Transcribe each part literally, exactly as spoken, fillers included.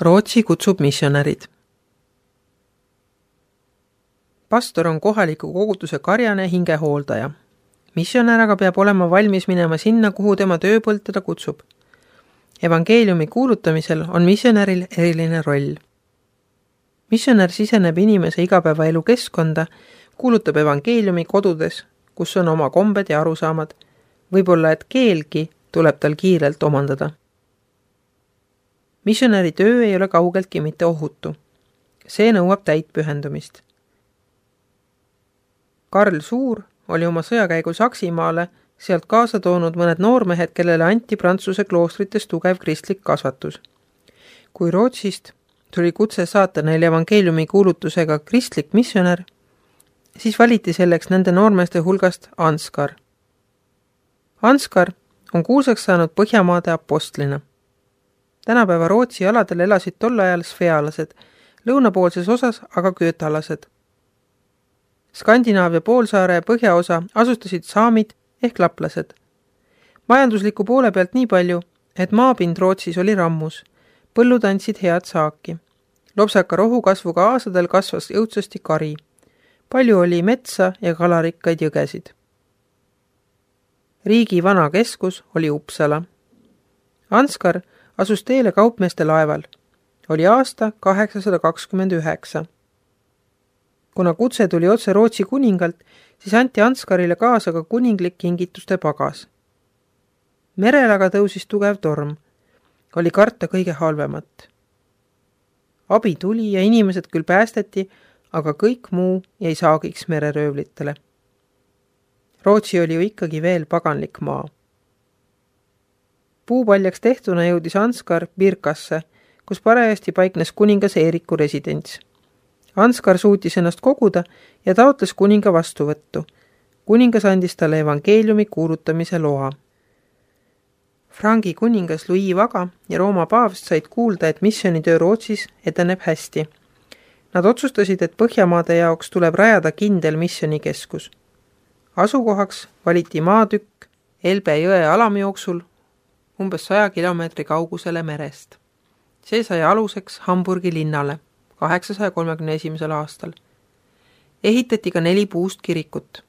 Rootsi kutsub missionärid. Pastor on kohaliku koguduse karjane hingehooldaja. Missionär aga peab olema valmis minema sinna, kuhu tema tööpõld teda kutsub. Evangeeliumi kuulutamisel on missionäril eriline roll. Missionär siseneb inimese igapäevaelu keskkonda, kuulutab evangeeliumi kodudes, kus on oma kombed ja arusaamad, võib-olla et keelgi tuleb tal kiirelt omandada. Missionäri töö ei ole kaugeltki mitte ohutu. See nõuab täit pühendumist. Karl Suur oli oma sõjakäigul Saksimaale sealt kaasa toonud mõned noormehed, kellele anti Prantsuse kloostrites tugev kristlik kasvatus. Kui Rootsist tuli kutse saata neil evangeeliumi kuulutusega kristlik missionär, siis valiti selleks nende noormeeste hulgast Anskar. Anskar on kuulsaks saanud Põhjamaade apostlina. Tänapäeva Rootsi aladel elasid tol ajal svealased, lõunapoolses osas aga köötalased. Skandinaavia poolsaare põhjaosa asustasid saamid ehk laplased. Majandusliku poole pealt nii palju, et maapind Rootsis oli rammus, põllud andsid head saaki. Lopsaka rohukasvuga aasadel kasvas jõudsasti kari. Palju oli metsa ja kalarikkaid jõgesid. Riigi vana keskus oli Uppsala. Anskar asus teele kaupmeeste laeval. Oli aasta kaheksasada kakskümmend üheksa. Kuna kutse tuli otse Rootsi kuningalt, siis anti Anskarile kaasa ka kuninglik kingituste pagas. Merel aga tõusis tugev torm. Oli karta kõige halvemat. Abi tuli ja inimesed küll päästeti, aga kõik muu jäi saagiks mereröövlitele. Rootsi oli ju ikkagi veel paganlik maa. Puupaljaks tehtuna jõudis Anskar Birkasse, kus parajasti paiknes kuningas Eeriku residents. Anskar suutis ennast koguda ja taotles kuninga vastuvõttu. Kuningas andis talle evangeeliumi kuulutamise loa. Frangi kuningas Louis Vaga ja Rooma paavst said kuulda, et missionitöö Rootsis edeneb hästi. Nad otsustasid, et Põhjamaade jaoks tuleb rajada kindel missionikeskus. Asukohaks valiti maatükk Elbe jõe alamjooksul umbes saja kilomeetri kaugusele merest. See sai aluseks Hamburgi linnale kaheksasaja kolmekümne esimesel aastal. Ehitati ka neli puust kirikut.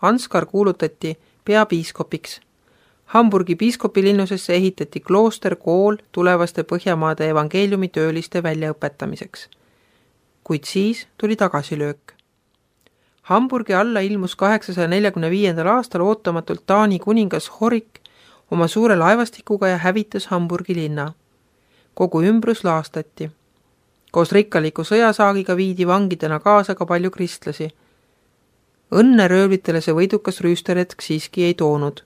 Anskar kuulutati peapiiskopiks. Hamburgi piiskopilinusesse ehitati klooster kool tulevaste Põhjamaade evangeeliumi tööliste väljaõpetamiseks. Kuid siis tuli tagasilöök. Hamburgi alla ilmus kaheksasaja neljakümne viiendal aastal ootamatult Taani kuningas Horik oma suure laevastikuga ja hävitas Hamburgi linna. Kogu ümbrus laastati. Koos rikkaliku sõjasaagiga viidi vangidena kaasa ka palju kristlasi. Õnne röövlitele see võidukas rüüsteretk siiski ei toonud.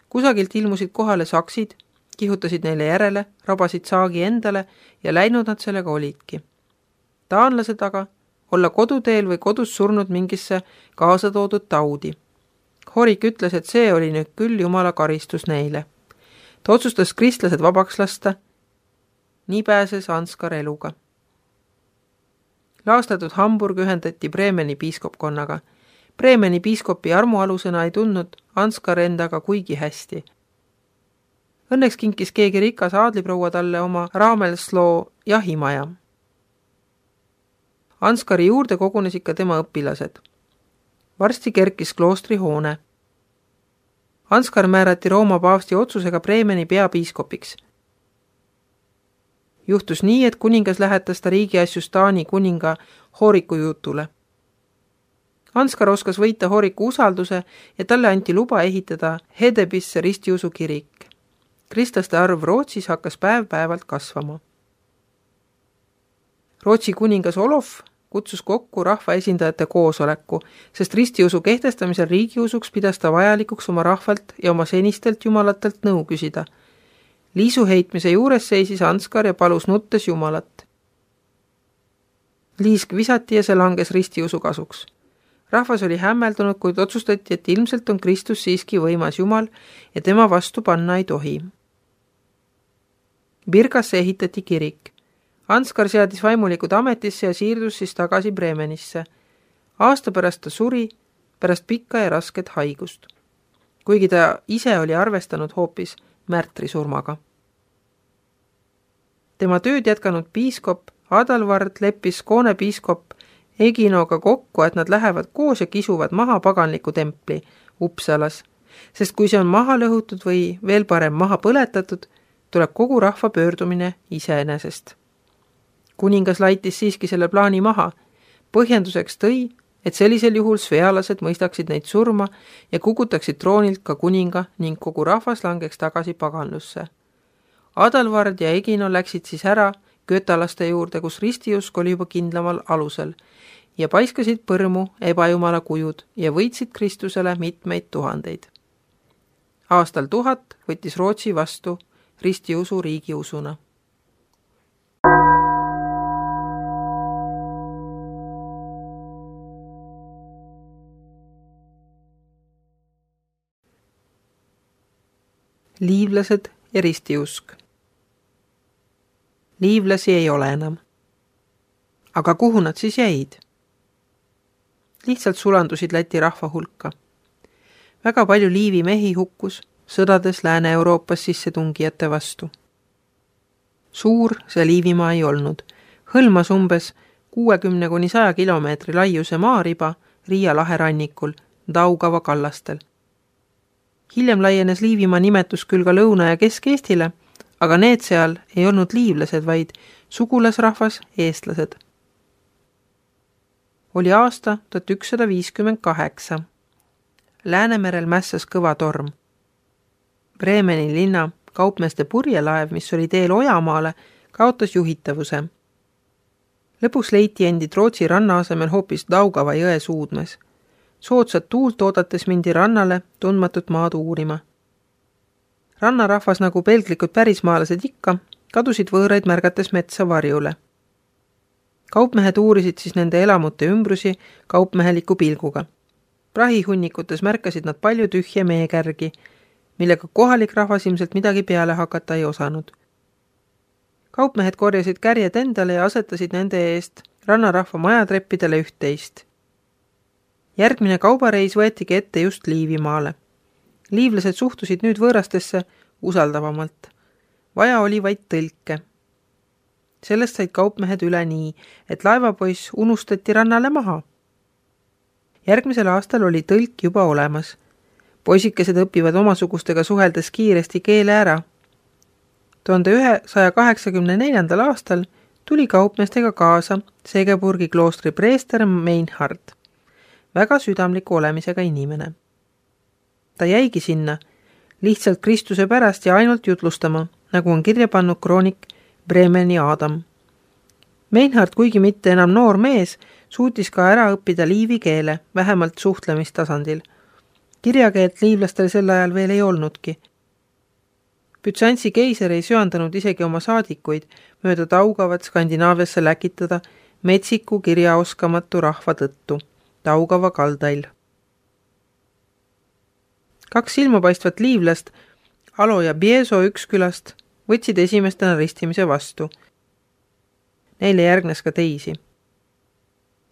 Kusagilt ilmusid kohale saksid, kihutasid neile järele, rabasid saagi endale ja läinud nad sellega olidki. Taanlased aga olla koduteel või kodus surnud mingisse kaasa toodud taudi. Horik ütles, et see oli nüüd küll Jumala karistus neile. Ta otsustas kristlased vabaks lasta. Nii pääses Anskar eluga. Laastatud Hamburg ühendati Bremeni piiskopkonnaga. Bremeni piiskopi armualusena ei tundnud Anskar endaga kuigi hästi. Õnneks kinkis keegi rikas aadliproua talle oma Raamelsloo jahimaja. Anskari juurde kogunesid ka tema õpilased. Varsti kerkis kloostri hoone. Anskar määrati Rooma paavsti otsusega Bremeni peapiiskopiks. Juhtus nii, et kuningas lähetas ta riigiasjus Taani kuninga Horiku jutule. Anskar oskas võita Horiku usalduse ja talle anti luba ehitada Hedebisse ristiusu kirik. Kristlaste arv Rootsis hakkas päev-päevalt kasvama. Rootsi kuningas Olof kutsus kokku rahvaesindajate koosoleku, sest ristiusu kehtestamisel riigiusuks pidas ta vajalikuks oma rahvalt ja oma senistelt jumalatelt nõu küsida. Liisu heitmise juures seisis Anskar ja palus nuttes Jumalat. Liisk visati ja see langes ristiusu kasuks. Rahvas oli hämmeldunud, kuid otsustati, et ilmselt on Kristus siiski võimas Jumal ja tema vastu panna ei tohi. Birkasse ehitati kirik. Anskar seadis vaimulikud ametisse ja siirdus siis tagasi Bremenisse. Aasta pärast ta suri, pärast pikka ja rasket haigust. Kuigi ta ise oli arvestanud hoopis märtri surmaga. Tema tööd jätkanud piiskop Adalvard leppis Skoone piiskop Eginoga kokku, et nad lähevad koos ja kisuvad maha paganliku templi Uppsalas, sest kui see on maha lõhutud või veel parem maha põletatud, tuleb kogu rahva pöördumine iseenesest. Kuningas laitis siiski selle plaani maha. Põhjenduseks tõi, et sellisel juhul svealased mõistaksid neid surma ja kukutaksid troonilt ka kuninga ning kogu rahvas langeks tagasi paganlusse. Adalvard ja Egino läksid siis ära götalaste juurde, kus ristiusk oli juba kindlamal alusel ja paiskasid põrmu ebajumala kujud ja võitsid Kristusele mitmeid tuhandeid. Aastal tuhat võttis Rootsi vastu ristiusu riigiusuna. Liivlased ja ristiusk. Liivlasi ei ole enam. Aga kuhu nad siis jäid? Lihtsalt sulandusid Läti rahva hulka. Väga palju liivi mehi hukkus sõdades Lääne-Euroopas sissetungijate vastu. Suur see Liivimaa ei olnud. Hõlmas umbes kuuekümne kuni saja kilomeetri laiuse maariba Riia lahe rannikul, Daugava kallastel. Hiljem laienes Liivimaa nimetus küll ka Lõuna- ja Kesk-Eestile, aga need seal ei olnud liivlased, vaid sugulasrahvas eestlased. Oli aasta tuhat ükssada viiskümmend kaheksa. Läänemerel mässas kõva torm. Bremeni linna kaupmeeste purjelaev, mis oli teel Ojamaale, kaotas juhitavuse. Lõpuks leiti endid Rootsi ranna asemel hoopis Daugava jõe suudmes. Soodsat tuult oodates mindi rannale tundmatut maad uurima. Rannarahvas nagu pelglikud pärismaalased ikka, kadusid võõraid märgates metsa varjule. Kaupmehed uurisid siis nende elamute ümbrusi kaupmeheliku pilguga. Prahihunnikutes märkasid nad palju tühje meekärgi, millega kohalik rahvas ilmselt midagi peale hakata ei osanud. Kaupmehed korjasid kärjed endale ja asetasid nende eest rannarahva majatreppidele üht-teist. Järgmine kaubareis võetigi ette just Liivimaale. Liivlased suhtusid nüüd võõrastesse usaldavamalt. Vaja oli vaid tõlke. Sellest said kaupmehed üle nii, et laevapoiss unustati rannale maha. Järgmisel aastal oli tõlk juba olemas. Poisikesed õpivad omasugustega suheldes kiiresti keele ära. tuhande üheksasaja kaheksakümne neljandal aastal tuli kaupmeestega kaasa Segeburgi kloostri preester Meinhard, väga südamliku olemisega inimene. Ta jäigi sinna lihtsalt Kristuse pärast ja ainult jutlustama, nagu on kirja pannud kroonik Bremeni Adam. Meinhard, kuigi mitte enam noor mees, suutis ka ära õppida liivi keele, vähemalt suhtlemistasandil. Kirjakeelt liivlastel sel ajal veel ei olnudki. Bütsantsi keiser ei söandanud isegi oma saadikuid mööda Daugavat Skandinaaviasse läkitada metsiku kirjaoskamatu rahva tõttu, Daugava kaldail. Kaks silmapaistvat liivlast, Alo ja Bieso Ükskülast, võtsid esimestena ristimise vastu. Neile järgnes ka teisi.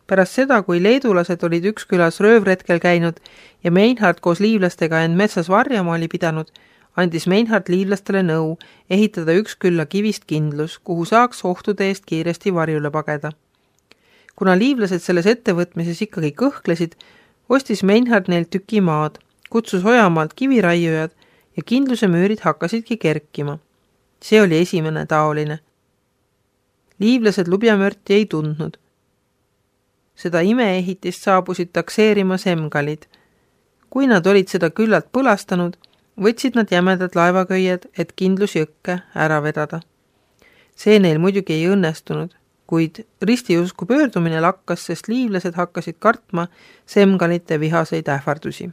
Pärast seda, kui leedulased olid Ükskülas röövretkel käinud ja Meinhard koos liivlastega end metsas varjama oli pidanud, andis Meinhard liivlastele nõu ehitada Ükskülla kivist kindlus, kuhu saaks ohtude eest kiiresti varjule pageda. Kuna liivlased selles ettevõtmises ikkagi kõhklesid, ostis Meinhard neil tüki maad, kutsus Ojamaalt kiviraiujad ja kindluse müürid hakkasidki kerkima. See oli esimene taoline. Liivlased lubjamörti ei tundnud. Seda imeehitist saabusid takseerima semgalid. Kui nad olid seda küllalt põlastanud, võtsid nad jämedad laevaköied, et kindlus jõkke ära vedada. See neil muidugi ei õnnestunud, kuid ristiusku pöördumine lakkas, sest liivlased hakkasid kartma semgalite vihaseid ähvardusi.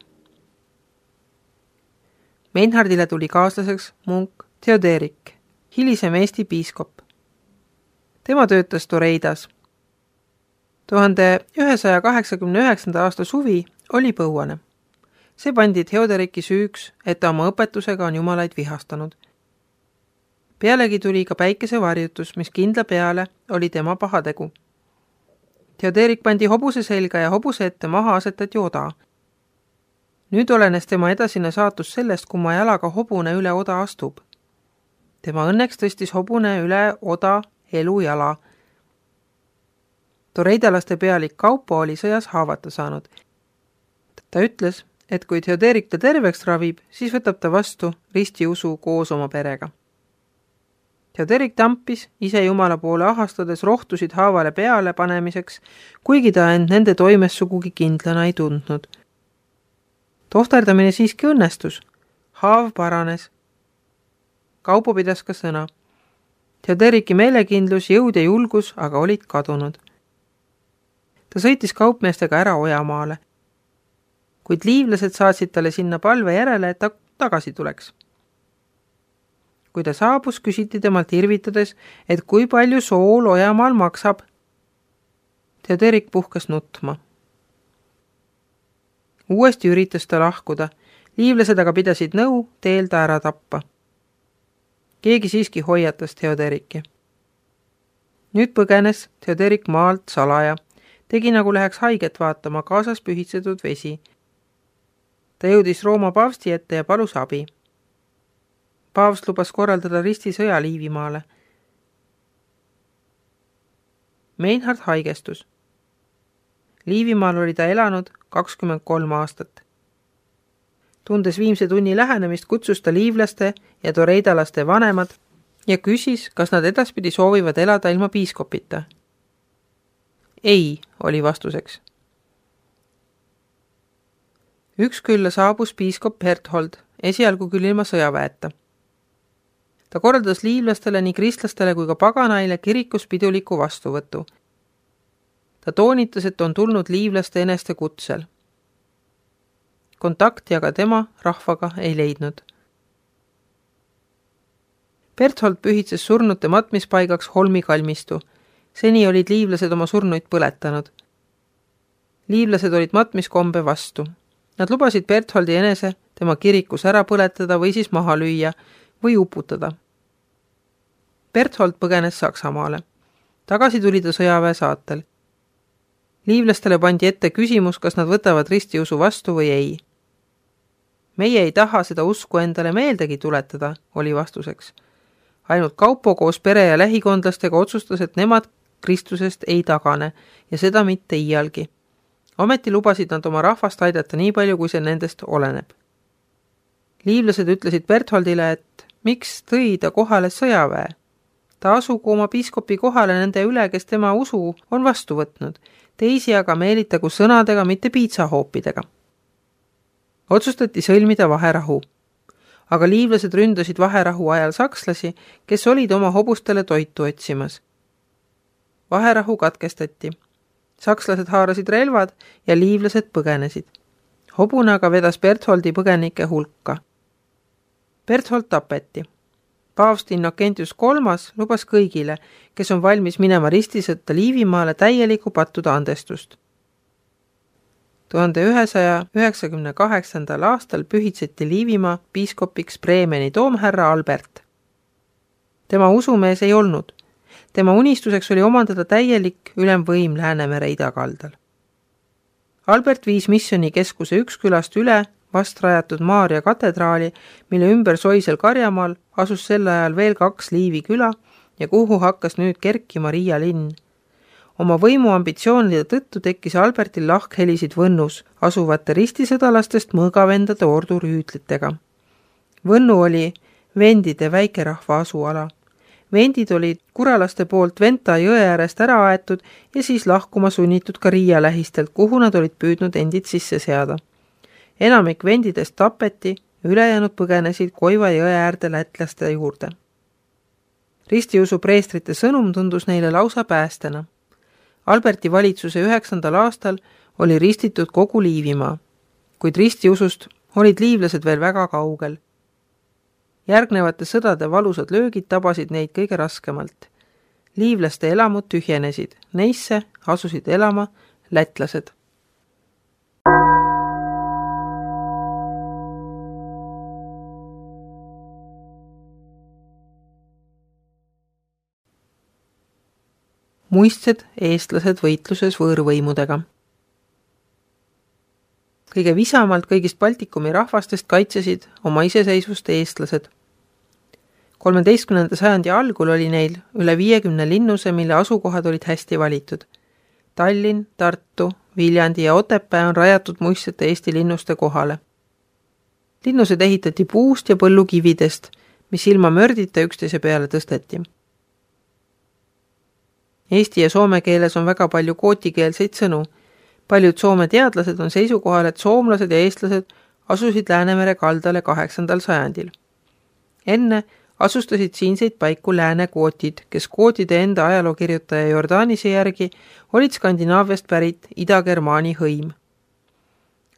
Meinhardile tuli kaaslaseks munk Theoderik, hilisem Eesti piiskop. Tema töötas Toreidas. tuhande ühesaja kaheksakümne üheksanda aasta suvi oli põuane. See pandi Theoderiki süüks, et ta oma õpetusega on jumalaid vihastanud. Pealegi tuli ka päikesevarjutus, mis kindla peale oli tema pahategu. Theoderik pandi hobuse selga ja hobuse ette maha asetati oda. Nüüd olenes tema edasine saatus sellest, kui ma jalaga hobune üle oda astub. Tema õnneks tõstis hobune üle oda elujala. Toreidalaste pealik Kaupo oli sõjas haavata saanud. Ta ütles, et kui Theoderik ta terveks ravib, siis võtab ta vastu ristiusu koos oma perega. Theoderik tampis ise Jumala poole ahastades rohtusid haavale peale panemiseks, kuigi ta end nende toimes sugugi kindlana ei tundnud. Tohterdamine siiski õnnestus. Haav paranes. Kaupo pidas ka sõna. Theoderiki meelekindlus, jõud ja julgus aga olid kadunud. Ta sõitis kaupmeestega ära Ojamaale, kuid liivlased saatsid talle sinna palve järele, et ta tagasi tuleks. Kui ta saabus, küsiti temalt irvitades, et kui palju sool Ojamaal maksab. Theoderik puhkas nutma. Uuesti üritas ta lahkuda, liivlased aga pidasid nõu teel ta ära tappa. Keegi siiski hoiatas Theoderiki. Nüüd põgenes Theoderik maalt salaja, tegi nagu läheks haiget vaatama, kaasas pühitsetud vesi. Ta jõudis Rooma paavsti ette ja palus abi. Paavst lubas korraldada ristisõja Liivimaale. Meinhard haigestus. Liivimaal oli ta elanud kakskümmend kolm aastat. Tundes viimse tunni lähenemist, kutsus ta liivlaste ja toreidalaste vanemad ja küsis, kas nad edaspidi soovivad elada ilma piiskopita. Ei, oli vastuseks. Üks külla saabus piiskop Berthold, esialgu küll ilma sõjaväeta. Ta korraldas liivlastele nii kristlastele kui ka paganaile kirikus piduliku vastuvõtu. Ta toonitas, et on tulnud liivlaste eneste kutsel. Kontakti aga tema rahvaga ei leidnud. Berthold pühitses surnute matmispaigaks Holmi kalmistu. Seni olid liivlased oma surnuid põletanud. Liivlased olid matmiskombe vastu. Nad lubasid Bertholdi enese tema kirikus ära põletada või siis maha lüüa või uputada. Berthold põgenes Saksamaale. Tagasi tuli ta sõjaväe saatel. Liivlastele pandi ette küsimus, kas nad võtavad ristiusu vastu või ei. Meie ei taha seda usku endale meeldegi tuletada, oli vastuseks. Ainult Kaupo koos pere ja lähikondlastega otsustas, et nemad Kristusest ei tagane ja seda mitte iialgi. Ometi lubasid nad oma rahvast aidata nii palju, kui see nendest oleneb. Liivlased ütlesid Bertholdile, et miks tõi ta kohale sõjaväe. Ta asugu oma piiskopi kohale nende üle, kes tema usu on vastu võtnud, teisi aga meelitagu sõnadega, mitte piitsahoopidega. Otsustati sõlmida vaherahu. Aga liivlased ründasid vaherahu ajal sakslasi, kes olid oma hobustele toitu otsimas. Vaherahu katkestati. Sakslased haarasid relvad ja liivlased põgenesid. Hobune aga vedas Bertholdi põgenike hulka. Berthold tapeti. Paavst Innokentius kolmas lubas kõigile, kes on valmis minema ristisõtta Liivimaale täieliku pattuda andestust. tuhande ühesaja üheksakümne kaheksandal aastal pühitseti Liivimaa piiskopiks Bremeni toomherra Albert. Tema usumees ei olnud. Tema unistuseks oli omandada täielik ülemvõim Läänemere idakaldal. Albert viis missioni keskuse üks külast üle vast rajatud Maaria katedraali, mille ümber soisel Karjamaal asus sel ajal veel kaks Liivi küla ja kuhu hakkas nüüd kerkima Riia linn. Oma võimu ambitsioonide tõttu tekkis Albertil lahkhelisid Võnnus asuvate ristisõdalastest mõõgavendade ordurüütlitega. Võnnu oli vendide väikerahva asuala. Vendid olid kuralaste poolt Venta jõe äärest ära aetud ja siis lahkuma sunnitud ka Riia lähistelt, kuhu nad olid püüdnud endid sisse seada. Enamik vendidest tapeti, ülejäänud põgenesid Koiva jõe äärde lätlaste juurde. Ristiusu preestrite sõnum tundus neile lausa päästena. Alberti valitsuse üheksandal aastal oli ristitud kogu Liivimaa, kuid ristiusust olid liivlased veel väga kaugel. Järgnevate sõdade valusad löögid tabasid neid kõige raskemalt. Liivlaste elamud tühjenesid, neisse asusid elama lätlased. Muistsed eestlased võitluses võõrvõimudega. Kõige visamalt kõigist Baltikumi rahvastest kaitsesid oma iseseisvust eestlased. kolmeteistkümnenda sajandi algul oli neil üle viiekümne linnuse, mille asukohad olid hästi valitud. Tallinn, Tartu, Viljandi ja Otepää on rajatud muistsete Eesti linnuste kohale. Linnused ehitati puust ja põllukividest, mis ilma mördita üksteise peale tõsteti. Eesti ja soome keeles on väga palju kootikeelseid sõnu. Paljud Soome teadlased on seisukohal, et soomlased ja eestlased asusid Läänemere kaldale kaheksandal sajandil. Enne asustasid siinseid paiku lääne kootid, kes kootide enda ajalookirjutaja Jordanise järgi olid Skandinaaviast pärit Ida-Germaani hõim.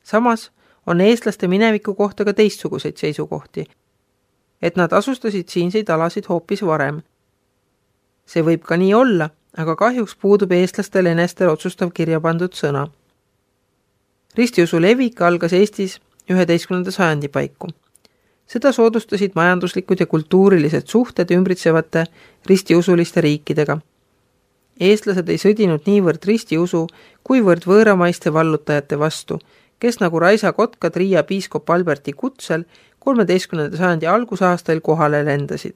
Samas on eestlaste mineviku kohta ka teistsuguseid seisukohti, et nad asustasid siinseid alasid hoopis varem. See võib ka nii olla, aga kahjuks puudub eestlastel enestel otsustav kirja pandud sõna. Ristiusu levik algas Eestis üheteistkümnenda sajandi paiku. Seda soodustasid majanduslikud ja kultuurilised suhted ümbritsevate ristiusuliste riikidega. Eestlased ei sõdinud niivõrd ristiusu, kuivõrd võõramaiste vallutajate vastu, kes nagu Raisa Kotkad Riia piiskop Alberti kutsel kolmeteistkümnenda sajandi algusaastail kohale lendasid.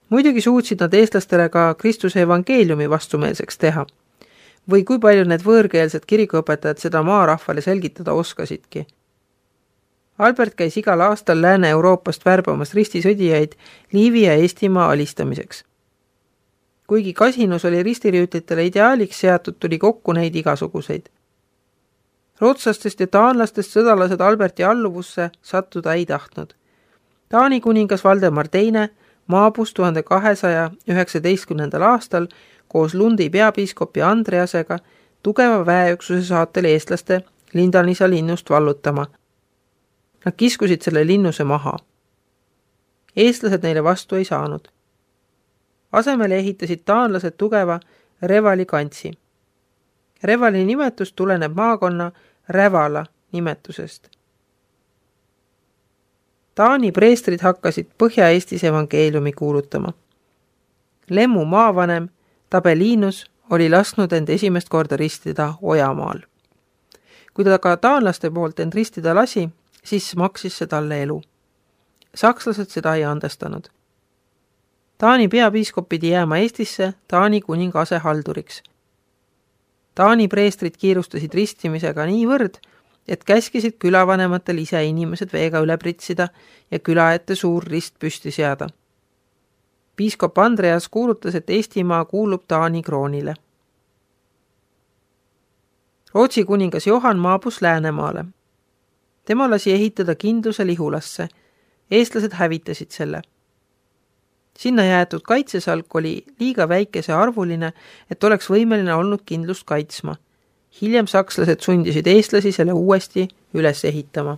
Muidugi suutsid nad eestlastele ka Kristuse evangeeliumi vastumeelseks teha. Või kui palju need võõrkeelsed kirikuõpetajad seda maarahvale selgitada oskasidki. Albert käis igal aastal Lääne-Euroopast värbamas ristisõdijaid Liivi ja Eestimaa alistamiseks. Kuigi kasinus oli ristirüütlitele ideaaliks seatud, tuli kokku neid igasuguseid. Rootslastest ja taanlastest sõdalased Alberti alluvusse sattuda ei tahtnud. Taani kuningas Valdemar teine maabus tuhande kahesaja üheksateistkümnendal aastal koos Lundi peapiiskopi Andreasega tugeva väeüksuse saatel eestlaste Lindanisa linnust vallutama. Nad kiskusid selle linnuse maha. Eestlased neile vastu ei saanud. Asemele ehitasid taanlased tugeva Revali kantsi. Revali nimetus tuleneb maakonna Rävala nimetusest. Taani preestrid hakkasid Põhja-Eestis evangeeliumi kuulutama. Lemmu maavanem Tabeliinus oli lasknud end esimest korda ristida Ojamaal. Kui ta ka taanlaste poolt end ristida lasi, siis maksis see talle elu. Sakslased seda ei andestanud. Taani peapiiskop pidi jääma Eestisse Taani kuninga asehalduriks. Taani preestrid kiirustasid ristimisega niivõrd, et käskisid külavanematel ise inimesed veega üle pritsida ja küla ette suur rist püsti seada. Piiskop Andreas kuulutas, et Eestimaa kuulub Taani kroonile. Rootsi kuningas Johan maabus Läänemaale. Tema lasi ehitada kindluse Lihulasse. Eestlased hävitasid selle. Sinna jäetud kaitsesalk oli liiga väikese arvuline, et oleks võimeline olnud kindlust kaitsma. Hiljem sakslased sundisid eestlasi selle uuesti üles ehitama.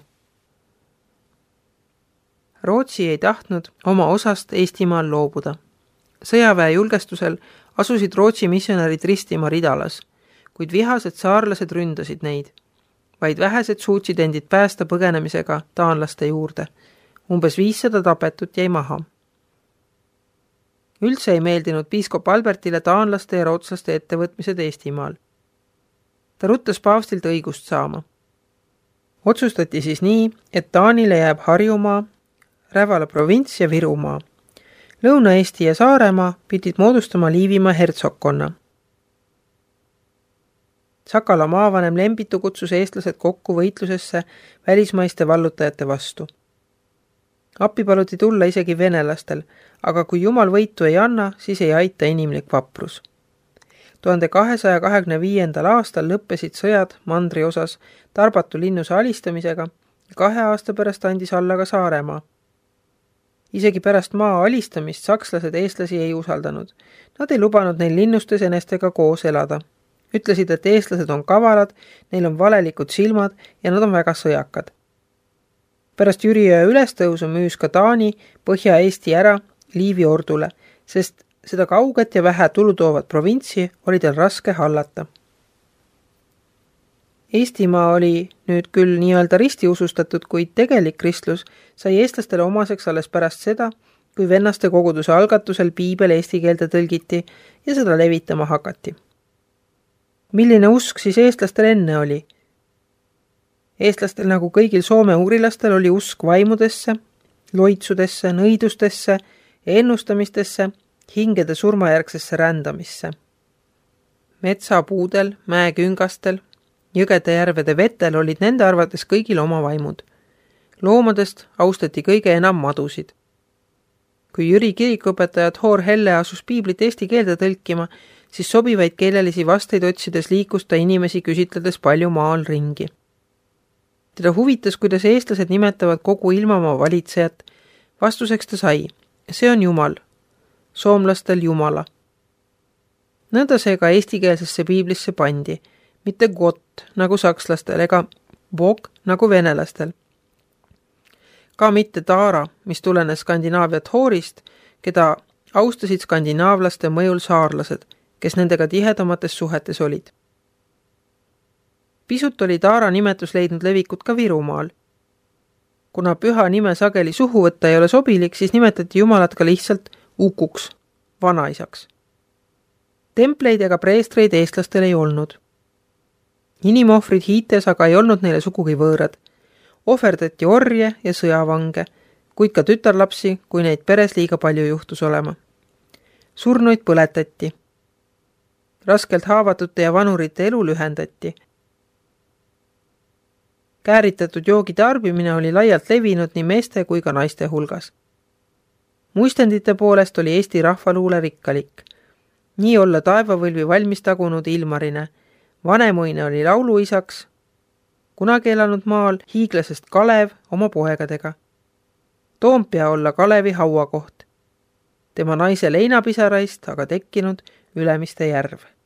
Rootsi ei tahtnud oma osast Eestimaal loobuda. Sõjaväe julgestusel asusid Rootsi missionärid ristima Ridalas, kuid vihased saarlased ründasid neid. Vaid vähesed suutsid endid päästa põgenemisega taanlaste juurde. Umbes viissada tapetut jäi maha. Üldse ei meeldinud piiskop Albertile taanlaste ja rootslaste ettevõtmised Eestimaal. Ta ruttas paavstilt õigust saama. Otsustati siis nii, et Taanile jääb Harjumaa, Rävala provints ja Virumaa. Lõuna-Eesti ja Saaremaa pidid moodustama Liivimaa hertsokkonna. Sakala maavanem Lembitu kutsus eestlased kokku võitlusesse välismaiste vallutajate vastu. Appi paluti tulla isegi venelastel, aga kui Jumal võitu ei anna, siis ei aita inimlik vaprus. tuhande kahesaja kahekümne viiendal aastal lõppesid sõjad mandri osas Tarbatu linnuse alistamisega ja kahe aasta pärast andis alla ka Saaremaa. Isegi pärast maa alistamist sakslased eestlasi ei usaldanud. Nad ei lubanud neil linnustes enestega koos elada. Ütlesid, et eestlased on kavalad, neil on valelikud silmad ja nad on väga sõjakad. Pärast Jüriöö ülestõusu müüs ka Taani Põhja-Eesti ära Liivi ordule, sest seda kauget ja vähe tulutoovat provintsi oli tal raske hallata. Eestimaa oli nüüd küll nii-öelda ristiusustatud, kuid tegelik kristlus sai eestlastele omaseks alles pärast seda, kui vennaste koguduse algatusel piibel eesti keelde tõlgiti ja seda levitama hakati. Milline usk siis eestlastel enne oli? Eestlastel nagu kõigil Soome uurilastel oli usk vaimudesse, loitsudesse, nõidustesse, ennustamistesse, hingede surmajärgsesse rändamisse. Metsapuudel, mäeküngastel, jõgede järvede vetel olid nende arvates kõigil oma vaimud. Loomadest austati kõige enam madusid. Kui Jüri kirikuõpetaja Thor Helle asus piiblit eesti keelde tõlkima, siis sobivaid keelelisi vasteid otsides liikus ta inimesi küsitledes palju maal ringi. Teda huvitas, kuidas eestlased nimetavad kogu ilmamaa valitsejat. Vastuseks ta sai, see on Jumal, soomlastel Jumala. Nõnda see ka eestikeelsesse piiblisse pandi, mitte Gott nagu sakslastel ega Bog nagu venelastel. Ka mitte Taara, mis tulenes Skandinaavia Thorist, keda austasid skandinaavlaste mõjul saarlased, kes nendega tihedamates suhetes olid. Pisut oli Taara nimetus leidnud levikut ka Virumaal. Kuna püha nime sageli suhu võtta ei ole sobilik, siis nimetati Jumalat ka lihtsalt ukuks, vanaisaks. Templeid ega preestreid eestlastel ei olnud. Inimohvrid hiites aga ei olnud neile sugugi võõrad. Ohverdati orje ja sõjavange, kuid ka tütarlapsi, kui neid peres liiga palju juhtus olema. Surnuid põletati. Raskelt haavatute ja vanurite elu lühendati. Kääritatud joogi tarbimine oli laialt levinud nii meeste kui ka naiste hulgas. Muistendite poolest oli Eesti rahvaluule rikkalik. Nii olla taevavõlvi valmis tagunud Ilmarine. Vanemuine oli lauluisaks, kunagi elanud maal hiiglasest Kalev oma poegadega. Toompea olla Kalevi hauakoht. Tema naise leinapisaraist aga tekkinud Ülemiste järv.